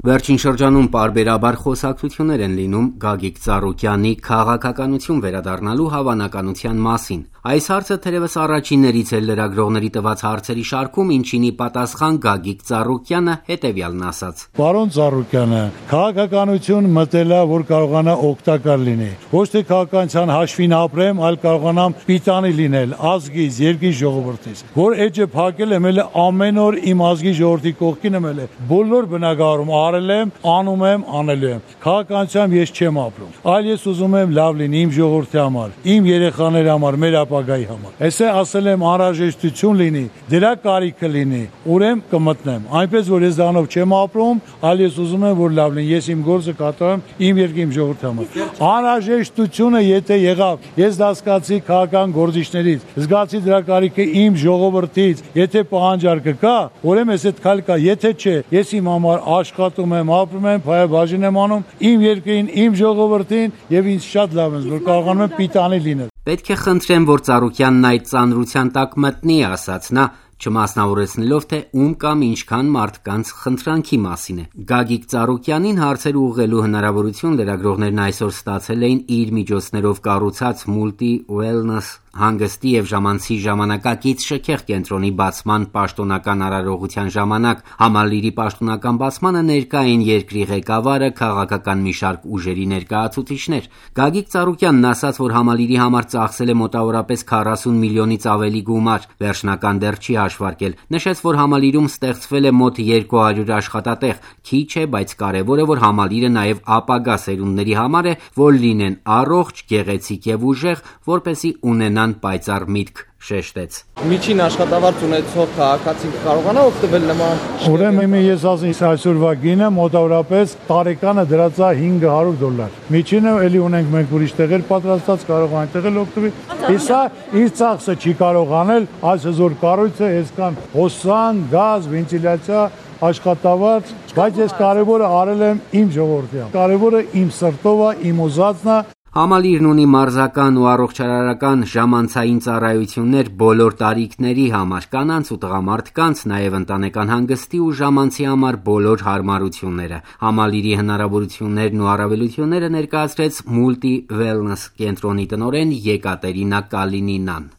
Վերջին շրջանում պարբերաբար խոսակցություններ են լինում Գագիկ Ծառուկյանի քաղաքականություն վերադառնալու հավանականության մասին։ Այս հարցը թերևս առաջիններից է լրագրողների տված հարցերի շարքում, ինչինի պատասխան Գագիկ Ծառուկյանը հետևյալն ասաց. Պարոն Ծառուկյանը, քաղաքականություն մտել է, որ կարողանա օգտակար լինի։ Ոչ թե քաղաքականության հաշվին ապրեմ, այլ կարողանամ պիտանի լինել ազգից, երկրի ժողովրդից։ Որ էջը փակել եմ, էլ ամեն օր իմ ազգի ժողովրդի կողքին եմ, բոլոր բնակարարում արել եմ, անում եմ, անելու եմ։ Քաղաքականությամբ ես չեմ ապրում, այլ ես ուզում եմ լավ լինի իմ ժողովրդի համար, իմ երեխաների համար, մեր ապագայի համար։ Այսօր ասել եմ անհրաժեշտություն լինի, դրա կարիքը լինի, ուրեմն կմտնեմ։ Այնպես որ ես դրանով չեմ ապրում, այլ ես ուզում եմ որ լավ լինի, ես իմ գործը կատարեմ իմ երկրի իմ ժողովրդի համար։ Անհրաժեշտությունը եթե եղավ, ես դա զգացի քաղաքական գործիչներից, զգացի դրա կարիքը իմ ժողովրդից, եթե պահանջարկը կա, ուրեմն ես այդ քայլ կա, եթե չէ, ես իմ համար աշխատում եմ, ապրում եմ, բաժին եմ անում իմ երկրին, իմ ժողովրդին եւ ինձ շատ լավ եմ, որ կարողանում եմ պիտանի լինել։ Պետք է խնդրեմ, որ Ծառուկյանն այդ ծանրության տակ մտնի, ասաց նա, չմասնավորեցնելով, թե ում կամ ինչքան մարդկանց խնդրանքի մասին է։ Գագիկ Ծառուկյանին հարցեր ուղղելու հնարավորություն լրագրողներն այսօր ստացել էին իր միջոցներով կառուցած Multi Wellness հանգստի եւ ժամանցի ժամանակակից շքեղ կենտրոնի բացման պաշտոնական արարողության ժամանակ։ Համալիրի պաշտոնական բացմանը ներկա էին երկրի ղեկավարը, քաղաքական մի շարք ուժերի ներկայացուցիչներ։ Գագիկ Ծառուկյանն ասաց, որ համալիրի համար ծախսել է մոտավորապես 40 միլիոնից ավելի գումար, վերջնական դեռ չի հաշվարկել։ Նշեց, որ համալիրում ստեղծվել է մոտ 200 աշխատատեղ։ Քիչ է, բայց կարևոր է, որ համալիրը նաև ապագա սերունդների համար է, որ լինեն առողջ, գեղեցիկ եւ ուժեղ, որպեսզի ունենան պայծառ միտք, շեշտեց։ Միջին աշխատավարձ ունեցող քաղաքացին կարողանա օգտվել նման։ Ուրեմն ես ասեմ այսօրվա գինը մոտավորապես տարեկանը դրած է $500։ Միջինը էլի ունենք մենք ուրիշ տեղեր պատրաստած, կարող այնտեղ էլ օգտվի։ Իսա իր ծախսը չի կարող անել, այս հզոր կառույցը, այսքան հոսան, գազ, վենտիլյացիա, աշխատավարձ, բայց ես կարևորը արել եմ իմ ժողովրդի համար։ Կարևորը իմ սրտով է, իմ ուզածն է։ Համալիրն ունի մարզական ու առողջարարական ժամանցային ծառայություններ բոլոր տարիքների համար, կանանց ու տղամարդկանց, նաև ընտանեկան հանգստի ու ժամանցի համար բոլոր հարմարությունները։ Համալիրի հնարավորություններն ու առավելությունները ներկայացրեց Multi Wellness կենտրոնի տնօրեն Եկատերինա Կալինինան։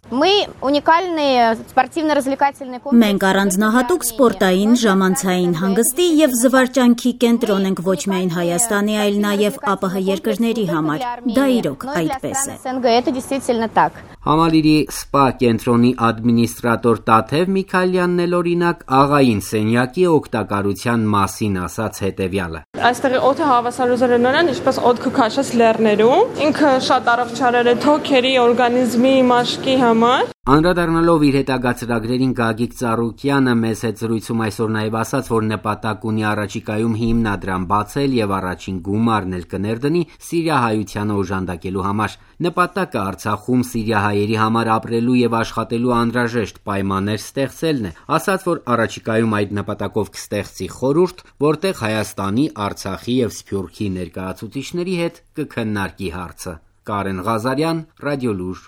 Մենք առանձնահատուկ սպորտային, ժամանցային հանգստի եւ զվարճանքի կենտրոն ենք ոչ միայն Հայաստանի, այլ նաեւ ԱՊՀ երկրների համար։ Դա իրոք այդպես է։ Համալիրի սպա կենտրոնի ադմինիստրատոր Տաթև Միքայելյանն էլ օրինակ աղային սենյակի օգտակարության մասին ասաց հետևյալը. Այստեղի օդը հավասարազոր է նրան, ինչպես օդ քաշած լեռներում, ինքը շատ առողջարար է թոքերի, օրգանիզմի, մաշկի համար։ Անդրադառնալով իր հետագա ծրագրերին Գագիկ Ծառուկյանը մեզ հետ զրույցում այսօր նաև ասաց, որ նպատակ ունի առաջիկայում հիմնադրամ բացել եւ առաջին գումարն էլ կներդնի սիրիահայությանը օժանդակելու համար։ Նպատակը Արցախում սիրիահայերի համար ապրելու եւ աշխատելու անհրաժեշտ պայմաններ ստեղծելն է։ Ասաց, որ առաջիկայում այդ նպատակով կստեղծի խորհուրդ, որտեղ Հայաստանի, Արցախի եւ Սփյուռքի ներկայացուցիչների հետ կքննարկի հարցը։ Կարեն Ղազարյան, Ռադիոլուր։